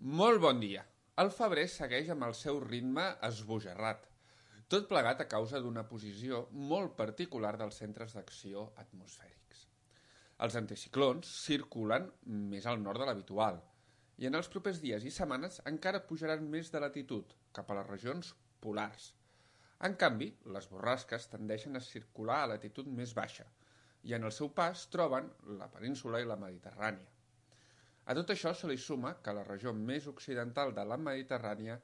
Molt bon dia. El febrer segueix amb el seu ritme esbojarrat, tot plegat a causa d'una posició molt particular dels centres d'acció atmosfèrics. Els anticiclons circulen més al nord de l'habitual i en els propers dies i setmanes encara pujaran més de latitud, cap a les regions polars. En canvi, les borrasques tendeixen a circular a latitud més baixa i en el seu pas troben la península i la Mediterrània. A tot això se li suma que a la regió més occidental de la Mediterrània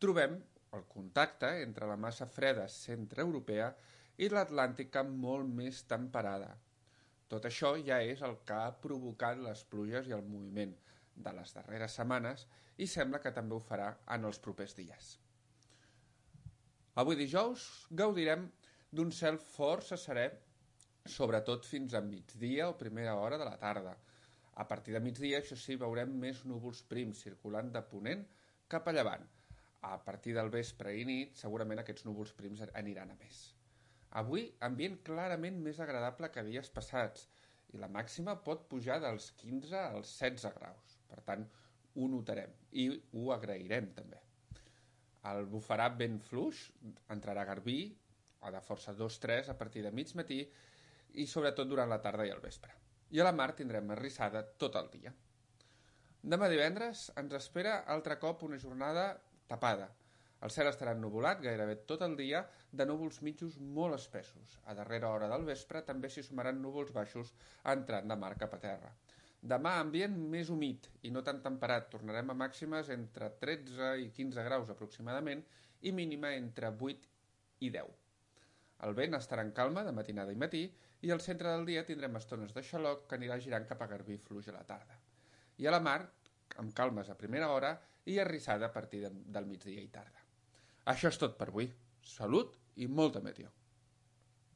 trobem el contacte entre la massa freda centreeuropea i l'Atlàntica molt més temperada. Tot això ja és el que ha provocat les pluges i el moviment de les darreres setmanes i sembla que també ho farà en els propers dies. Avui dijous gaudirem d'un cel força serè, sobretot fins a migdia o primera hora de la tarda. A partir de migdia, això sí, veurem més núvols prims circulant de ponent cap a llevant. A partir del vespre i nit, segurament aquests núvols prims aniran a més. Avui, ambient clarament més agradable que dies passats, i la màxima pot pujar dels 15 als 16 graus. Per tant, ho notarem i ho agrairem també. El bufarà vent fluix, entrarà garbí, o de força 2-3 a partir de mig matí, i sobretot durant la tarda i el vespre. I a la mar tindrem arrissada tot el dia. Demà divendres ens espera altre cop una jornada tapada. El cel estarà ennuvolat gairebé tot el dia de núvols mitjos molt espessos. A darrera hora del vespre també s'hi sumaran núvols baixos entrant de mar cap a terra. Demà ambient més humit i no tan temperat. Tornarem a màximes entre 13 i 15 graus aproximadament i mínima entre 8 i 10. El vent estarà en calma de matinada i matí i al centre del dia tindrem estones de xaloc que anirà girant cap a garbí fluix a la tarda. I a la mar, amb calmes a primera hora i arrissada a partir del migdia i tarda. Això és tot per avui. Salut i molta meteo.